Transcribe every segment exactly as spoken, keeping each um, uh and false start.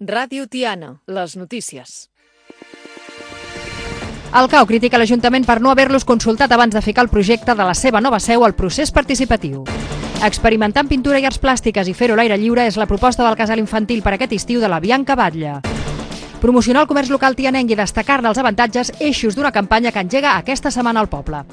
Ràdio Tiana, les notícies. El C A U critica l'Ajuntament per no haver-los consultat abans de ficar el projecte de la seva nova seu al procés participatiu. Experimentar amb pintura i arts plàstiques i fer-ho a l'aire lliure és la proposta del casal infantil per aquest estiu de la Bianca Batlle. Promocionar el comerç local tianenc i destacar-ne els avantatges, eixos d'una campanya que engega aquesta setmana al poble.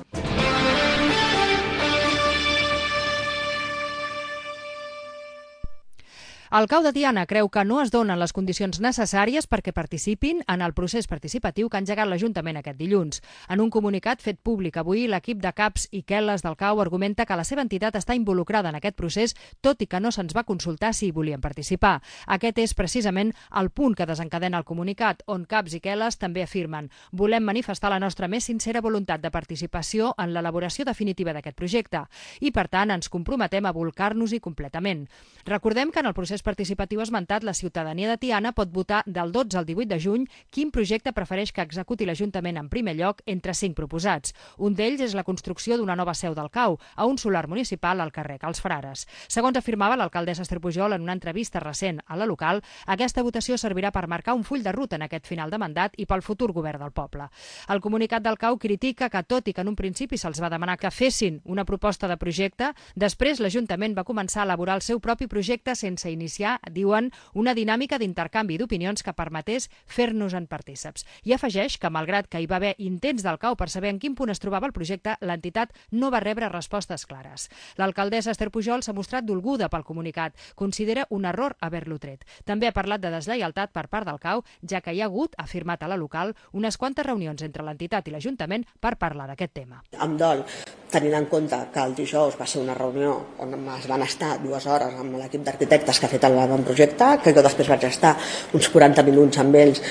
El C A U de Tiana creu que no es donen les condicions necessàries perquè participin en el procés participatiu que ha engegat l'Ajuntament aquest dilluns. En un comunicat fet públic avui, l'equip de caps i quel·les del C A U argumenta que la seva entitat està involucrada en aquest procés, tot i que no se'ns va consultar si hi volien participar. Aquest és precisament el punt que desencadena el comunicat, on caps i quel·les també afirmen: volem manifestar la nostra més sincera voluntat de participació en l'elaboració definitiva d'aquest projecte i, per tant, ens comprometem a volcar-nos-hi completament. Recordem que en el procés participatiu esmentat, la ciutadania de Tiana pot votar del dotze al divuit de juny quin projecte prefereix que executi l'Ajuntament en primer lloc entre cinc proposats. Un d'ells és la construcció d'una nova seu del C A U a un solar municipal al carrer Cals Frares. Segons afirmava l'alcaldessa Esther Pujol en una entrevista recent a la local, aquesta votació servirà per marcar un full de ruta en aquest final de mandat i pel futur govern del poble. El comunicat del C A U critica que, tot i que en un principi se'ls va demanar que fessin una proposta de projecte, després l'Ajuntament va començar a elaborar el seu propi projecte sense iniciar, diuen, una dinàmica d'intercanvi d'opinions que permetés fer-nos-en partíceps. I afegeix que, malgrat que hi va haver intents del C A U per saber en quin punt es trobava el projecte, l'entitat no va rebre respostes clares. L'alcaldessa Esther Pujol s'ha mostrat dolguda pel comunicat. Considera un error haver-lo tret. També ha parlat de deslleialtat per part del C A U, ja que hi ha hagut, ha afirmat a la local, unes quantes reunions entre l'entitat i l'Ajuntament per parlar d'aquest tema. Em dol, tenint en compte que el dijous va ser una reunió on es van estar dues hores amb l'equip d'arquitectes que ha fet el projecte, que jo després vaig estar uns quaranta minuts amb ells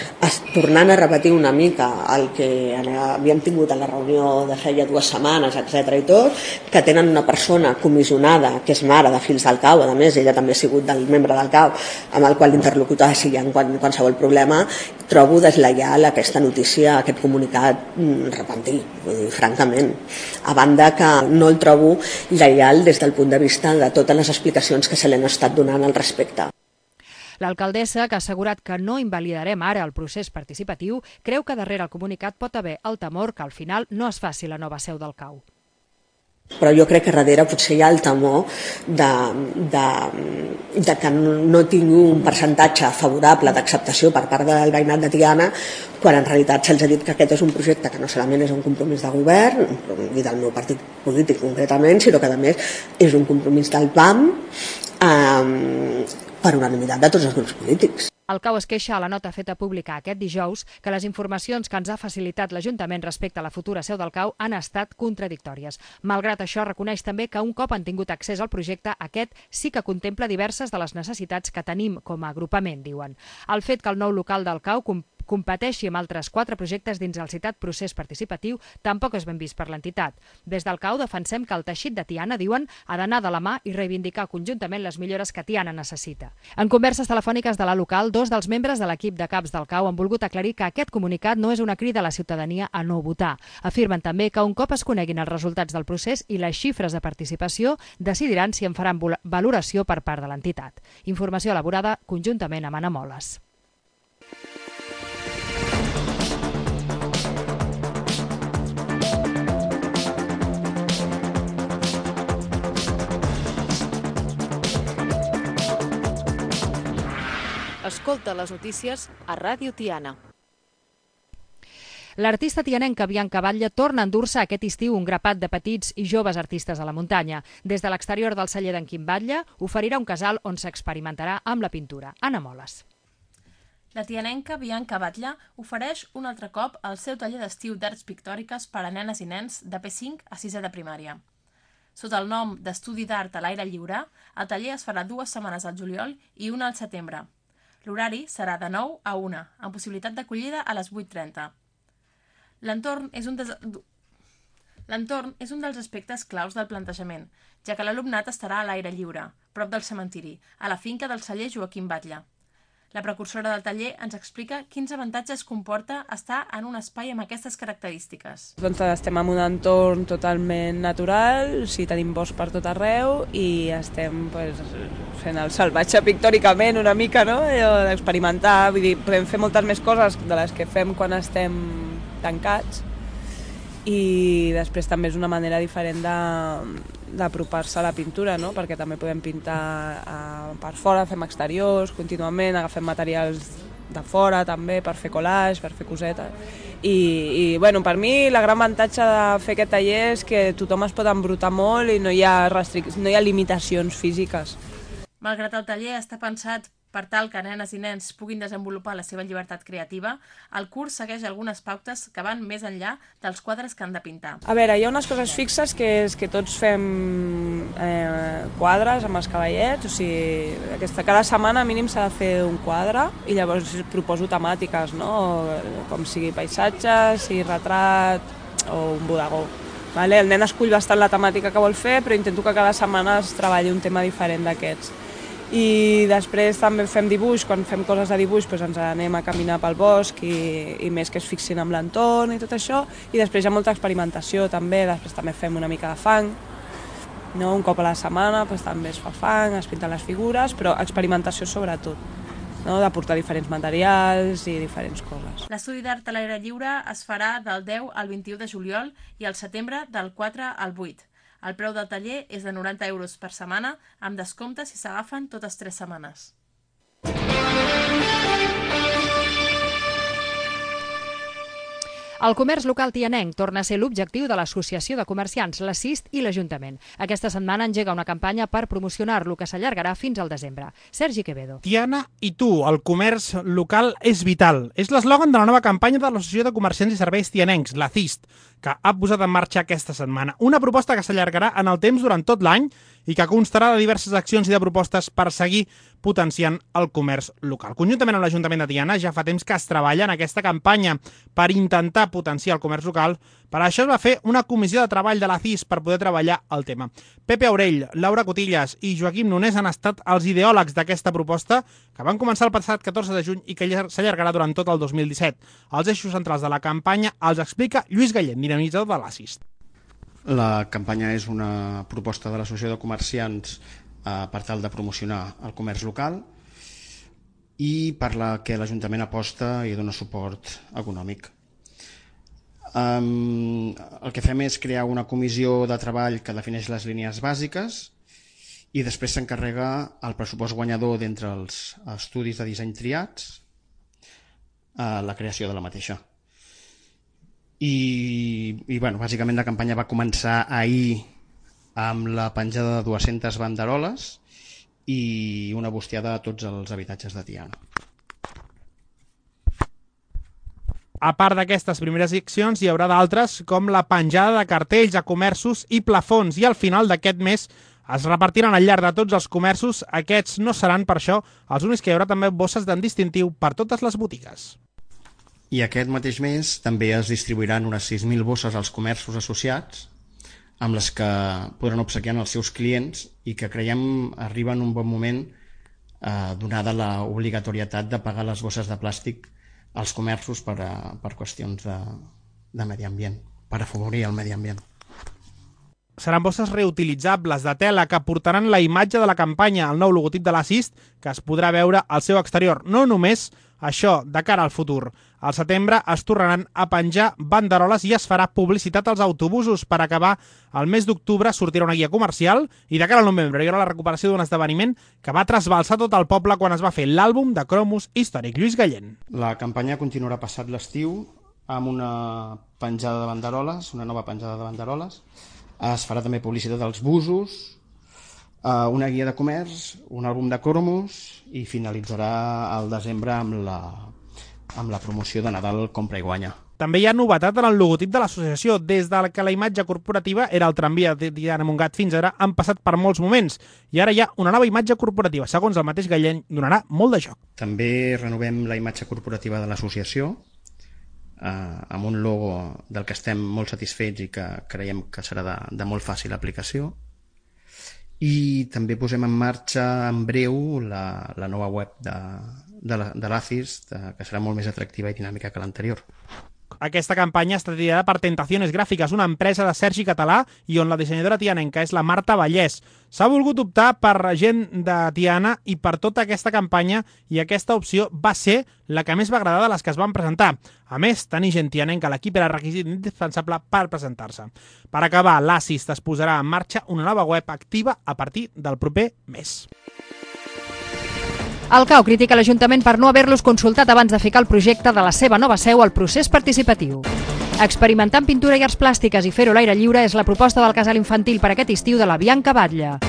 tornant a repetir una mica el que havíem tingut a la reunió de feia dues setmanes, etcètera i tot, que tenen una persona comissionada que és mare de fills del C A U, a més ella també ha sigut del membre del C A U amb el qual interlocutar si hi ha qualsevol problema. Trobo deslleial aquesta notícia, aquest comunicat repentir, vull dir, francament, a banda que no el trobo lleial des del punt de vista de totes les explicacions que se li han estat donant al respecte. L'alcaldessa, que ha assegurat que no invalidarem ara el procés participatiu, creu que darrere el comunicat pot haver el temor que al final no es faci la nova seu del C A U. Però jo crec que darrere potser hi ha el temor de, de, de que no tingui un percentatge favorable d'acceptació per part del veïnat de Tiana, quan en realitat se'ls ha dit que aquest és un projecte que no solament és un compromís de govern i del meu partit polític concretament, sinó que a més és un compromís del P A M eh, per unanimitat de tots els grups polítics. El C A U es queixa a la nota feta pública aquest dijous que les informacions que ens ha facilitat l'Ajuntament respecte a la futura seu del C A U han estat contradictòries. Malgrat això, reconeix també que un cop han tingut accés al projecte, aquest sí que contempla diverses de les necessitats que tenim com a agrupament, diuen. El fet que el nou local del C A U competeixi amb altres quatre projectes dins el citat procés participatiu tampoc és ben vist per l'entitat. Des del C A U defensem que el teixit de Tiana, diuen, ha d'anar de la mà i reivindicar conjuntament les millores que Tiana necessita. En converses telefòniques de la local, dos dels membres de l'equip de caps del C A U han volgut aclarir que aquest comunicat no és una crida a la ciutadania a no votar. Afirmen també que un cop es coneguin els resultats del procés i les xifres de participació, decidiran si en faran valoració per part de l'entitat. Informació elaborada conjuntament amb Anna Moles. Escolta les notícies a Ràdio Tiana. L'artista tianenca Bianca Batlle torna a endur-se aquest estiu un grapat de petits i joves artistes a la muntanya. Des de l'exterior del celler d'en Quim Batlle oferirà un casal on s'experimentarà amb la pintura. Anna Moles. La tianenca Bianca Batlle ofereix un altre cop el seu taller d'estiu d'arts pictòriques per a nenes i nens de P cinc a sisè de primària. Sota el nom d'Estudi d'Art a l'aire lliure, el taller es farà dues setmanes al juliol i una al setembre. L'horari serà de nou a una, amb possibilitat d'acollida a les vuit trenta. L'entorn és un des... L'entorn és un dels aspectes claus del plantejament, ja que l'alumnat estarà a l'aire lliure, prop del cementiri, a la finca del celler Joaquim Batlle. La precursora del taller ens explica quins avantatges comporta estar en un espai amb aquestes característiques. Doncs estem en un entorn totalment natural, o sigui, tenim bosc per tot arreu i estem pues, fent el salvatge pictòricament una mica, no? D'experimentar, vull dir, podem fer moltes més coses de les que fem quan estem tancats i després també és una manera diferent de d'apropar-se a la pintura, no? Perquè també podem pintar eh, per fora, fem exteriors contínuament, agafem materials de fora també per fer collage, per fer cosetes. I, i bueno, per mi la gran avantatge de fer aquest taller és que tothom es pot embrutar molt i no hi ha restric- no hi ha limitacions físiques. Malgrat el taller està pensat per tal que nenes i nens puguin desenvolupar la seva llibertat creativa, el curs segueix algunes pautes que van més enllà dels quadres que han de pintar. A veure, hi ha unes coses fixes que és que tots fem eh, quadres amb els cavallets, o sigui, aquesta, cada setmana mínim s'ha de fer un quadre i llavors proposo temàtiques, no? Com sigui paisatge, sigui retrat o un bodegó. Vale? El nen escull bastant la temàtica que vol fer, però intento que cada setmana es treballi un tema diferent d'aquests. I després també fem dibuix, quan fem coses de dibuix doncs ens anem a caminar pel bosc i, i més que es fixin amb l'entorn i tot això, i després hi ha molta experimentació també, després també fem una mica de fang, no? Un cop a la setmana doncs també es fa fang, es pinten les figures, però experimentació sobretot, no? De portar diferents materials i diferents coses. L'estudi d'art a l'aire lliure es farà del deu al vint-i-u de juliol i al setembre del quatre al vuit. El preu del taller és de noranta euros per setmana, amb descompte si s'agafen totes tres setmanes. El comerç local tianenc torna a ser l'objectiu de l'Associació de Comerciants, la CIST i l'Ajuntament. Aquesta setmana engega una campanya per promocionar-lo que s'allargarà fins al desembre. Sergi Quevedo. Tiana i tu, el comerç local és vital. És l'eslògan de la nova campanya de l'Associació de Comerciants i Serveis Tianencs, la CIST, que ha posat en marxa aquesta setmana. Una proposta que s'allargarà en el temps durant tot l'any i que constarà de diverses accions i de propostes per seguir potenciant el comerç local. Conjuntament amb l'Ajuntament de Tiana ja fa temps que es treballa en aquesta campanya per intentar potenciar el comerç local. Per això es va fer una comissió de treball de la CIST per poder treballar el tema. Pepe Aurell, Laura Cotillas i Joaquim Nonés han estat els ideòlegs d'aquesta proposta que van començar el passat catorze de juny i que s'allargarà durant tot el dos mil disset. Els eixos centrals de la campanya els explica Lluís Gallent, dinamitzador de la CIST. La campanya és una proposta de l'Associació de Comerciants eh, per tal de promocionar el comerç local i per la que l'Ajuntament aposta i dona suport econòmic. Um, el que fem és crear una comissió de treball que defineix les línies bàsiques i després s'encarrega el pressupost guanyador d'entre els estudis de disseny triats a la creació de la mateixa. I, i bueno, bàsicament la campanya va començar ahir amb la penjada de dues-centes banderoles i una bustiada a tots els habitatges de Tiana. A part d'aquestes primeres accions, hi haurà d'altres, com la penjada de cartells a comerços i plafons, i al final d'aquest mes es repartiran al llarg de tots els comerços. Aquests no seran, per això, els únics que hi haurà també bosses d'en distintiu per totes les botigues. I aquest mateix mes també es distribuiran unes sis mil bosses als comerços associats, amb les que podran obsequiar els seus clients i que creiem arriba en un bon moment eh, donada l'obligatorietat de pagar les bosses de plàstic als comerços per, a, per qüestions de, de medi ambient, per afavorir el medi ambient. Seran bosses reutilitzables de tela que portaran la imatge de la campanya, el nou logotip de la CIST, que es podrà veure al seu exterior. No només això, de cara al futur. Al setembre es tornaran a penjar banderoles i es farà publicitat als autobusos. Per acabar, el mes d'octubre sortirà una guia comercial i de cara al novembre hi haurà la recuperació d'un esdeveniment que va trasbalsar tot el poble quan es va fer l'àlbum de cromos històric. Lluís Gallent. La campanya continuarà passat l'estiu amb una penjada de banderoles, una nova penjada de banderoles. Es farà també publicitat dels busos, una guia de comerç, un àlbum de cromos i finalitzarà al desembre amb la, amb la promoció de Nadal Compra i Guanya. També hi ha novetat en el logotip de l'associació. Des de que la imatge corporativa era el tramvia de Tiana Montgat fins ara, han passat per molts moments i ara hi ha una nova imatge corporativa. Segons el mateix Gallent, donarà molt de joc. També renovem la imatge corporativa de l'associació eh, amb un logo del que estem molt satisfets i que creiem que serà de, de molt fàcil aplicació. I també posem en marxa en breu la, la nova web de, de, la, de l'Acis, que serà molt més atractiva i dinàmica que l'anterior. Aquesta campanya està ideada per Tentaciones Gràfiques, una empresa de Sergi Català i on la dissenyadora tianenca és la Marta Vallès. S'ha volgut optar per gent de Tiana i per tota aquesta campanya, i aquesta opció va ser la que més va agradar de les que es van presentar. A més, tenir gent tianenca a l'equip era requisit indispensable per presentar-se. Per acabar, l'Acis es posarà en marxa una nova web activa a partir del proper mes. El C A U critica l'Ajuntament per no haver-los consultat abans de ficar el projecte de la seva nova seu al procés participatiu. Experimentar amb pintura i arts plàstiques i fer-ho a l'aire lliure és la proposta del casal infantil per aquest estiu de la Bianca Batlle.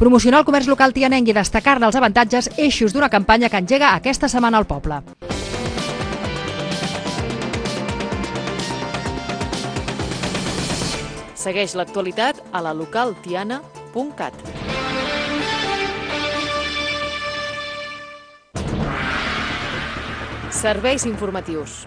Promocionar el comerç local tianenc i destacar-ne els avantatges, eixos d'una campanya que engega aquesta setmana al poble. Segueix l'actualitat a la local tiana punt cat. Serveis informatius.